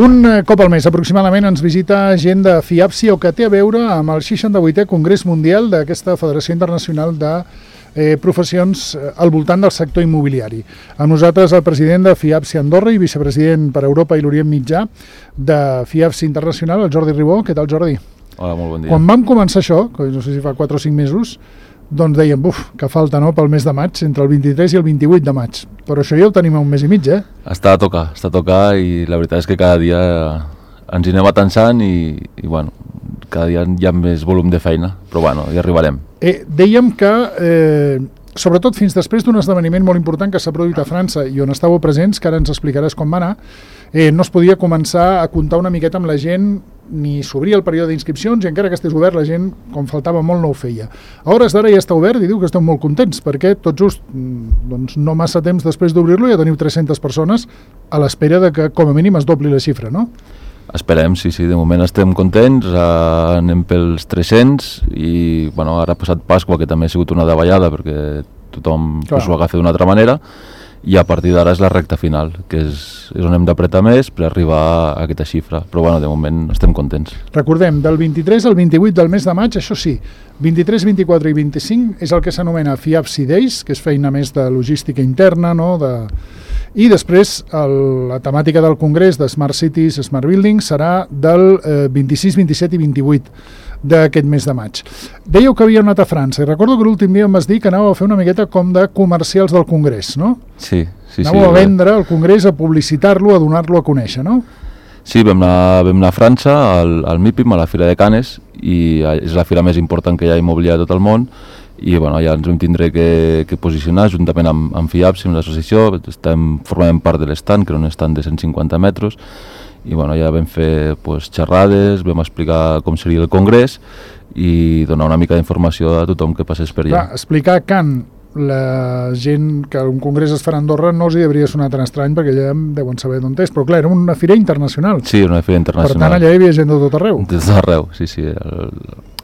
Un cop al mes aproximadament ens visita gent de FIAPSI, o que té a veure amb el 68è Congrés Mundial d'aquesta Federació Internacional de Professions al voltant del sector immobiliari. Amb nosaltres el president de FIAPSI Andorra i vicepresident per Europa i l'Orient Mitjà de FIAPSI Internacional, el Jordi Ribó. Què tal, Jordi? Hola, molt bon dia. Quan vam començar això, que no sé si fa 4 o 5 mesos, doncs dèiem, que falta, no?, pel mes de maig, entre el 23 i el 28 de maig. Però això ja ho tenim a un mes i mig, Està a tocar i la veritat és que cada dia ens hi anem atansant i bueno, cada dia hi ha més volum de feina, però bueno, hi arribarem. Dèiem que, sobretot fins després d'un esdeveniment molt important que s'ha produït a França i on estàveu presents, que ara ens explicaràs com va anar, no es podia començar a comptar una miqueta amb la gent, ni s'obria el període d'inscripcions i encara que estés obert la gent, com faltava molt, no ho feia. A hores d'ara ja està obert i diu que esteu molt contents perquè tot just, doncs no massa temps després d'obrir-lo ja teniu 300 persones a l'espera de que com a mínim es dobli la xifra, no? Esperem, sí, de moment estem contents, anem pels 300 i bueno, ara ha passat Pasqua, que també ha sigut una davallada perquè tothom s'ho agafa d'una altra manera, i a partir d'ara és la recta final, que és on hem d'apretar més per arribar a aquesta xifra, però bueno, de moment estem contents. Recordem, del 23 al 28 del mes de maig, això sí, 23, 24 i 25 és el que s'anomena FIAPSI Days, que és feina més de logística interna, no?, i després la temàtica del Congrés de Smart Cities, Smart Buildings serà del 26, 27 i 28 d'aquest mes de maig. Dèieu que havíeu anat a França i recordo que l'últim dia em vas dir que anàveu a fer una miqueta com de comercials del Congrés, no? Sí. Anàveu a vendre el Congrés, a publicitar-lo, a donar-lo a conèixer, no? Sí, vam anar a França, al MIPIM, a la Fira de Cannes, i és la fira més important que hi ha immobiliària a tot el món, i bueno, ja ens vam tindre que posicionar juntament amb FIAPSI, amb l'associació, formem part de l'estand, que era un estand de 150 metres, i bueno, ja vam fer xerrades, vam explicar com seria el congrés i donar una mica d'informació a tothom que passés per allà. Clar, explicar Can la gent que un congrés es farà a Andorra no els hi hauria sonat tan estrany perquè ja deuen saber d'on és, però clar, era una fira internacional. Sí, una fira internacional. Per tant, allà hi havia gent de tot arreu. De tot arreu, sí.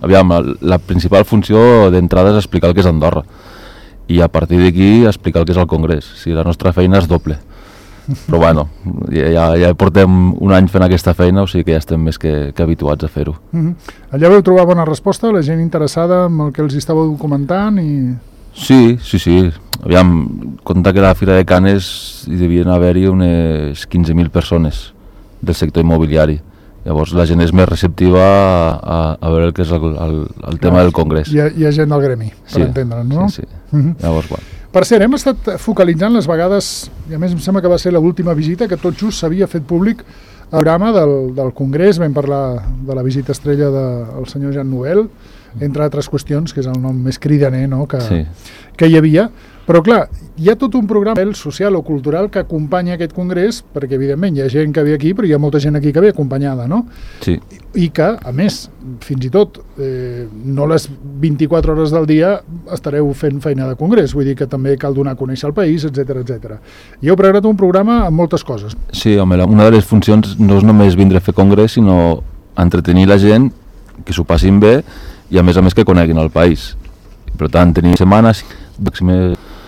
Aviam, la principal funció d'entrada és explicar el que és Andorra i a partir d'aquí explicar el que és el congrés. Sí, la nostra feina és doble. Però bueno, ja portem un any fent aquesta feina, o sigui que ja estem més que habituats a fer-ho. Allà vau trobar bona resposta, la gent interessada amb el que els estàveu documentant i... Sí. Aviam, compta que a la Fira de Cannes hi devien haver-hi unes 15.000 persones del sector immobiliari. Llavors la gent és més receptiva a veure el que és el tema del congrés. Hi ha gent del gremi, per entendre'ns, no? Sí. Llavors, bueno. Per cert, hem estat focalitzant les vegades, i a més em sembla que va ser l'última visita, que tot just s'havia fet públic el programa del Congrés. Vam parlar de la visita estrella del senyor Jean Nouvel, entre altres qüestions, que és el nom més cridaner, no?, que hi havia. Però clar, hi ha tot un programa social o cultural que acompanya aquest congrés, perquè evidentment hi ha gent que ve aquí, però hi ha molta gent aquí que ve acompanyada, no? Sí. I que, a més, fins i tot, no les 24 hores del dia estareu fent feina de congrés, vull dir que també cal donar a conèixer el país, etc. I heu preparat un programa amb moltes coses. Sí, home, una de les funcions no és només vindre a fer congrés, sinó entretenir la gent, que s'ho passin bé i a més que coneguin el país. Per tant, tenim setmanes,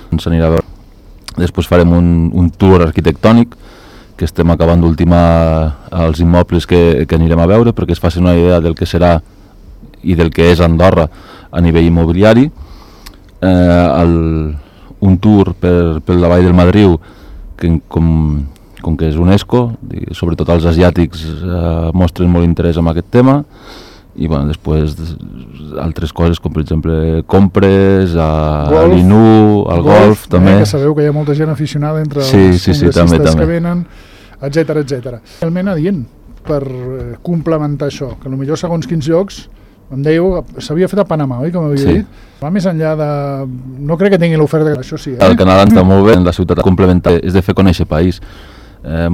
ens anirà a veure. Després farem un tour arquitectònic, que estem acabant d'ultimar els immobles que anirem a veure, perquè es faci una idea del que serà i del que és Andorra a nivell immobiliari. Un tour per la Vall del Madriu, que com que és UNESCO, sobretot els asiàtics mostren molt interès en aquest tema, i bueno, després altres coses com per exemple compres, a l'Inu, al golf també. Que sabeu que hi ha molta gent aficionada entre els congressistes també. Que venen, etc. Realment adient per complementar això, que potser segons quins llocs, em dèieu, s'havia fet a Panamà, oi, com havia dit? Va més enllà de... No crec que tingui l'oferta, això sí. El Canadà està molt bé, en la ciutat complementària és de fer conèixer país. La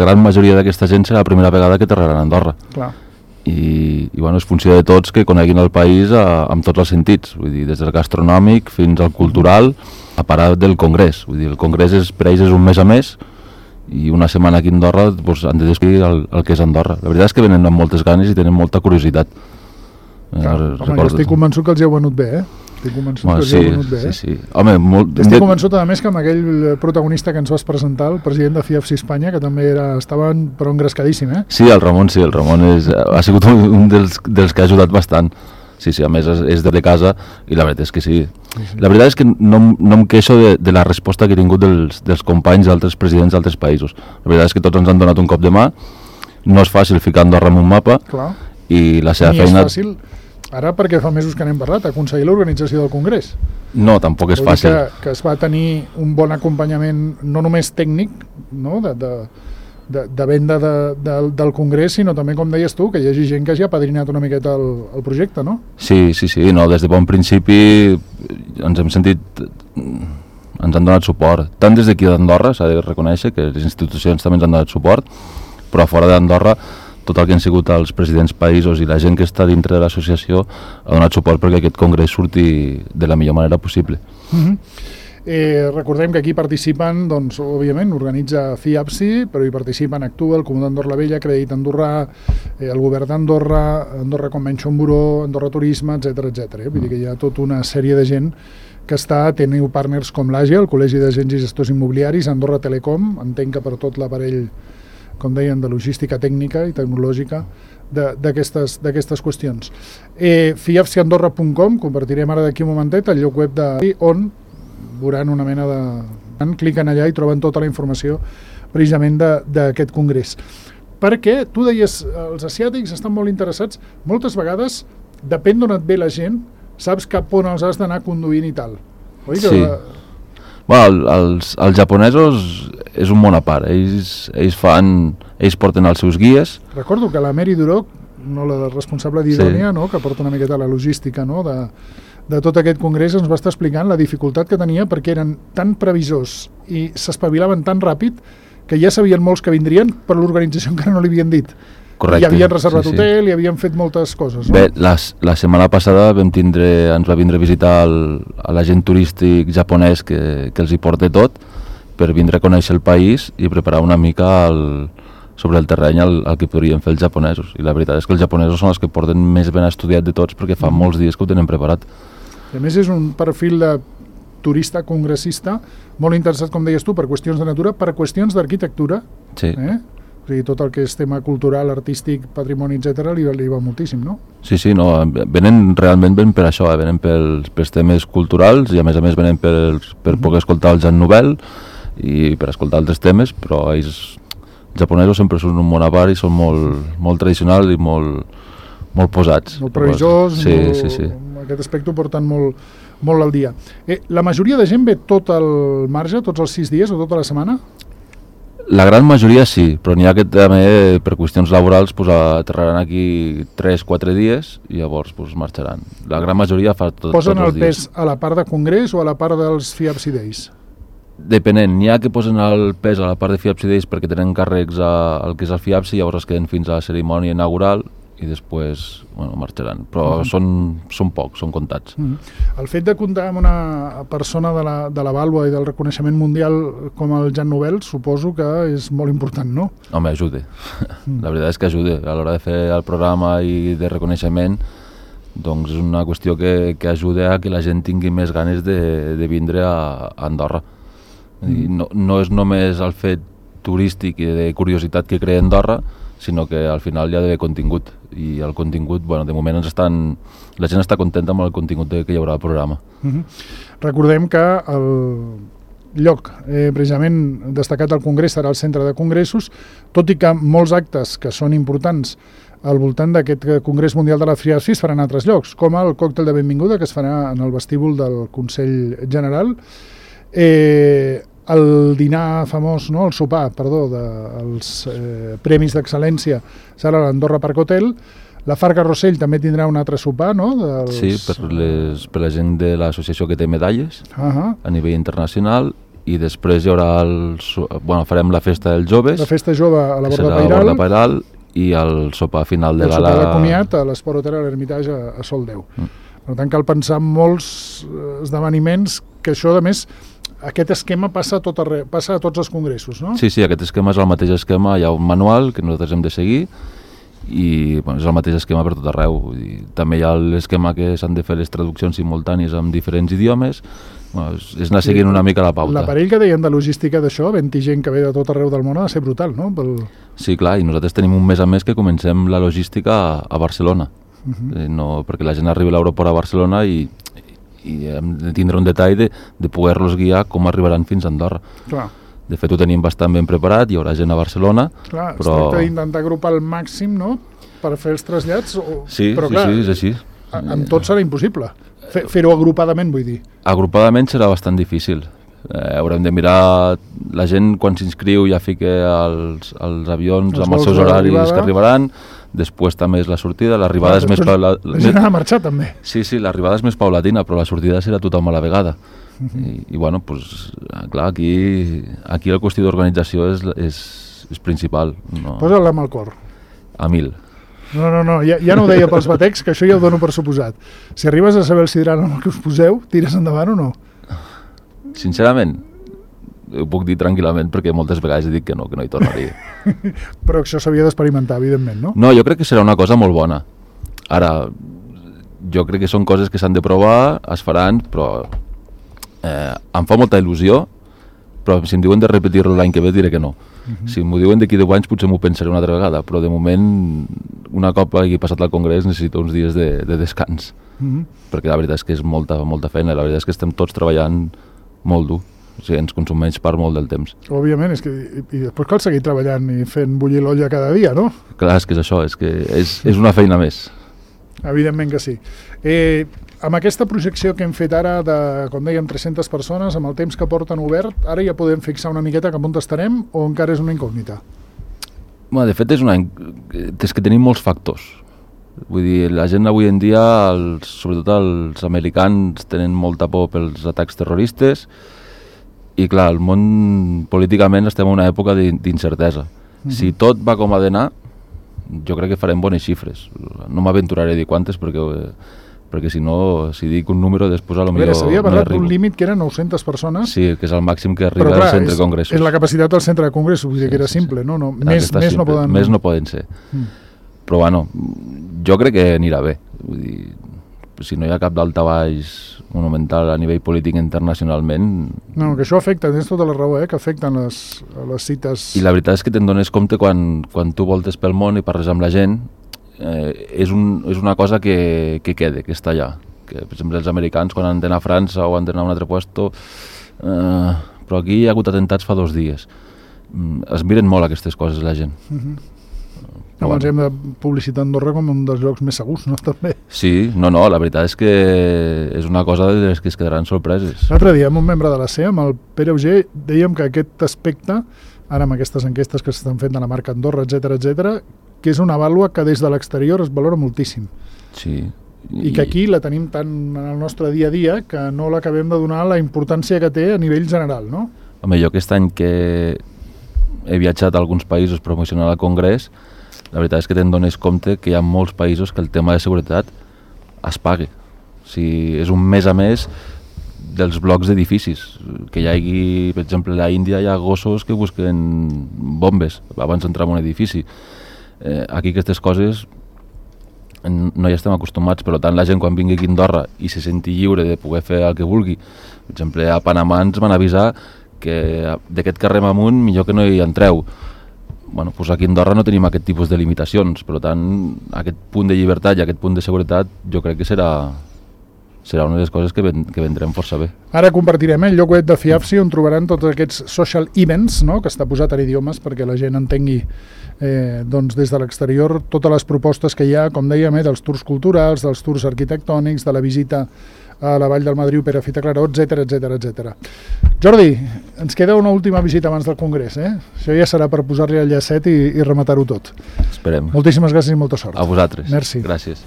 gran majoria d'aquesta gent serà la primera vegada que aterraran a Andorra. Clar. I bueno, és funció de tots que coneguin el país amb tots els sentits, vull dir, des del gastronòmic fins al cultural, a parar del congrés. Vull dir, el congrés per ells és un mes a mes i una setmana aquí a Andorra han de descobrir el que és Andorra. La veritat és que venen amb moltes ganes i tenen molta curiositat. Jo estic convençut que els hi heu venut bé, Estic convençut que us hi ha venut bé, Sí. Home, estic convençut, a més, que amb aquell protagonista que ens vas presentar, el president de FIAPSI Espanya, que també estava però engrescadíssim, Sí, el Ramon ha sigut un dels que ha ajudat bastant. Sí, a més és de casa i la veritat és que sí. La veritat és que no em queixo de la resposta que he tingut dels companys d'altres presidents d'altres països. La veritat és que tots ens han donat un cop de mà. No és fàcil ficar Andorra en un mapa. Clar. I la seva feina... És fàcil, ara perquè fa mesos que n'hem parlat, aconseguir l'organització del Congrés. No, tampoc és fàcil. Que es va tenir un bon acompanyament, no només tècnic, no? de venda del Congrés, sinó també, com deies tu, que hi hagi gent que hagi apadrinat una miqueta el projecte, no? Sí, no, des de bon principi ens hem sentit... ens han donat suport, tant des d'aquí d'Andorra, s'ha de reconèixer que les institucions també ens han donat suport, però a fora d'Andorra tot el que han sigut els presidents països i la gent que està dintre de l'associació ha donat suport perquè aquest congrés surti de la millor manera possible. Recordem que aquí participen, doncs, òbviament, organitza FIAPSI, però hi participen Actua, el Comú d'Andorra la Vella, Crèdit Andorrà, el Govern d'Andorra, Andorra Convention Bureau, Andorra Turisme, etc. Vull dir que hi ha tota una sèrie de gent que teniu partners com l'AGE, el Col·legi d'Agents i Gestors Immobiliaris, Andorra Telecom, entenc que per tot l'aparell, com deien, de logística tècnica i tecnològica d'aquestes qüestions. FIAPSIandorra.com, compartirem ara d'aquí un momentet el lloc web on veuran una mena de... cliquen allà i troben tota la informació precisament d'aquest congrés. Perquè, tu deies, els asiàtics estan molt interessats, moltes vegades, depèn d'on et ve la gent, saps cap on els has d'anar conduint i tal. Oi? Sí. Els japonesos és un món a part, ells porten els seus guies. Recordo que la Mary Duroc, la responsable d'Idònia, que porta una miqueta la logística de tot aquest congrés, ens va estar explicant la dificultat que tenia perquè eren tan previsors i s'espavilaven tan ràpid que ja sabien molts que vindrien, però l'organització encara no li havien dit. Correcte. I havien reservat hotel i havien fet moltes coses. No? Bé, la setmana passada ens va vindre a visitar l'agent turístic japonès que els hi porta tot per vindre a conèixer el país i preparar una mica sobre el terreny el que podrien fer els japonesos. I la veritat és que els japonesos són els que porten més ben estudiat de tots perquè fa molts dies que ho tenen preparat. A més, és un perfil de turista congressista molt interessat, com deies tu, per qüestions de natura, per qüestions d'arquitectura. Sí. O sigui, tot el que és tema cultural, artístic, patrimoni, etc., li va moltíssim, no? Sí, no, realment venen per això, venen pels temes culturals i a més venen per poder escoltar el Jean Nouvel i per escoltar altres temes, però els japonesos sempre són un món a part i són molt tradicionals i molt posats. Molt previsors, sí. Aquest aspecte ho porten molt al dia. La majoria de gent ve tot el marge, tots els 6 dies o tota la setmana? La gran majoria sí, però n'hi ha que també per qüestions laborals aterraran aquí 3-4 dies i llavors marxaran. La gran majoria fa tots els dies. Posen el pes a la part de congrés o a la part dels FIAPSI Days? Depenent, n'hi ha que posen el pes a la part de FIAPSI Days perquè tenen càrrecs al que és el FIAPSI, llavors es queden fins a la cerimònia inaugural i després marxaran, però són pocs, són comptats. El fet de comptar amb una persona de la vàlua i del reconeixement mundial com el Jean Nouvel suposo que és molt important, no? Home, ajuda. La veritat és que ajuda. A l'hora de fer el programa i de reconeixement, doncs és una qüestió que ajuda a que la gent tingui més ganes de vindre a Andorra. No és només el fet turístic i de curiositat que crea Andorra, sinó que al final hi ha d'haver contingut i el contingut, de moment la gent està contenta amb el contingut que hi haurà al programa. Recordem que el lloc precisament destacat al Congrés serà el centre de congressos, tot i que molts actes que són importants al voltant d'aquest Congrés Mundial de la FIAPSI es faran a altres llocs, com el còctel de benvinguda que es farà en el vestíbul del Consell General, el dinar famós, el sopar, dels Premis d'Excel·lència serà a l'Andorra Park Hotel. La Farga Rossell també tindrà un altre sopar, no? Sí, per la gent de l'associació que té medalles a nivell internacional, i després hi haurà farem la festa dels joves. La festa jove a la Borda Pairal i el sopar final de gala. El sopar de comiat a l'Esport Hotel a l'Hermitage a Sol 10. Per tant, cal pensar en molts esdeveniments que això, a més, aquest esquema passa a tots els congressos, no? Sí, aquest esquema és el mateix esquema, hi ha un manual que nosaltres hem de seguir i bueno, és el mateix esquema per tot arreu. Vull dir, també hi ha l'esquema que s'han de fer les traduccions simultànies amb diferents idiomes. Bueno, és anar seguint una mica la pauta. L'aparell que deien de logística d'això, havent-hi gent que ve de tot arreu del món, ha de ser brutal, no? Sí, clar, i nosaltres tenim un mes a més que comencem la logística a Barcelona. No, perquè la gent arriba a l'aeroport a Barcelona i hem de tindre un detall de poder-los guiar com arribaran fins a Andorra. Clar. De fet, ho tenim bastant ben preparat, hi haurà gent a Barcelona. Clar, es tracta d'intentar agrupar al màxim, no?, per fer els trasllats. Sí, però clar, sí, és així. Amb tot serà impossible. Fer-ho agrupadament, vull dir. Agrupadament serà bastant difícil. Haurem de mirar la gent quan s'inscriu, ja fica els avions amb els seus horaris que arribaran. Després també és la sortida, l'arribada és més paulatina. La gent ha de marxar també. Sí, l'arribada és més paulatina, però la sortida serà tothom a la vegada. I bueno, pues, clar, aquí la qüestió d'organització és principal. No. Posa-la amb el cor. A 1000. No, ja no ho deia pels batecs, que això ja ho dono per suposat. Si arribes a saber el sidral amb el que us poseu, tires endavant o no? Sincerament, ho puc dir tranquil·lament perquè moltes vegades he dit que no hi tornaria. Però això s'havia d'experimentar, evidentment, no? No, jo crec que serà una cosa molt bona. Ara, jo crec que són coses que s'han de provar, es faran, però em fa molta il·lusió, però si em diuen de repetir-lo l'any que ve diré que no. Si m'ho diuen d'aquí 10 anys potser m'ho pensaré una altra vegada, però de moment, una cop hagi passat al Congrés, necessito uns dies de descans, perquè la veritat és que és molta feina, la veritat és que estem tots treballant molt dur, o sigui, ens consumeix part molt del temps. Òbviament, i després cal seguir treballant i fent bullir l'olla cada dia, no? Clar, és que és això, és una feina més. Evidentment que sí. Amb aquesta projecció que hem fet ara de, com dèiem, 300 persones, amb el temps que porten obert, ara ja podem fixar una miqueta cap on estarem o encara és una incògnita? Bueno, de fet, és que tenim molts factors. Vull dir, la gent avui en dia, sobretot els americans, tenen molta por pels atacs terroristes i, clar, el món políticament estem en una època d'incertesa. Si tot va com ha d'anar, jo crec que farem bones xifres. No m'aventuraré a dir quantes perquè si no, si dic un número després potser no s'havia parlat d'un límit que eren 900 persones. Sí, que és el màxim que arriba al centre de congressos. És la capacitat del centre de congressos, vull dir que era simple, no? Més no poden... Més no poden ser. Però bueno, jo crec que anirà bé. Vull dir, si no hi ha cap daltabaix monumental a nivell polític internacionalment... No, que això afecta, tens tota la raó, que afecten les cites... I la veritat és que te'n dones compte quan tu voltes pel món i parles amb la gent, és una cosa que queda, que està allà. Que, per exemple, els americans quan han d'anar a França o han d'anar a un altre puesto, però aquí hi ha hagut atentats fa 2 dies. Es miren molt aquestes coses la gent. Abans hem de publicitar Andorra com un dels llocs més segurs, no? També. Sí, no, la veritat és que és una cosa de les que es quedaran sorpreses. L'altre dia, amb un membre de la CEA, amb el Pere Auger, dèiem que aquest aspecte, ara amb aquestes enquestes que s'estan fent de la marca Andorra, etc, que és una vàlua que des de l'exterior es valora moltíssim. Sí. I que aquí la tenim tant en el nostre dia a dia que no l'acabem de donar la importància que té a nivell general, no? Home, jo aquest any que he viatjat a alguns països promocionant al Congrés, la veritat és que te'n dones compte que hi ha molts països que el tema de seguretat es paga. O sigui, és un mes a més dels blocs d'edificis. Que hi hagi, per exemple, a l'Índia hi ha gossos que busquen bombes abans d'entrar en un edifici. Aquí aquestes coses no hi estem acostumats, per tant la gent quan vingui aquí a Andorra i se senti lliure de poder fer el que vulgui. Per exemple, a Panamà ens van avisar que d'aquest carrer amunt millor que no hi entreu. Bueno, doncs aquí a Andorra no tenim aquest tipus de limitacions, per tant aquest punt de llibertat i aquest punt de seguretat jo crec que serà una de les coses que vendrem força bé. Ara compartirem el lloc web de FIAFSI on trobaran tots aquests social events, no?, que està posat en idiomes perquè la gent entengui doncs des de l'exterior totes les propostes que hi ha, com dèiem, dels tours culturals, dels tours arquitectònics, de la visita a la Vall del Madriu, Perafita Claró, etc. Jordi, ens queda una última visita abans del Congrés, Això ja serà per posar-li el llacet i rematar-ho tot. Esperem. Moltíssimes gràcies i molta sort. A vosaltres. Merci. Gràcies.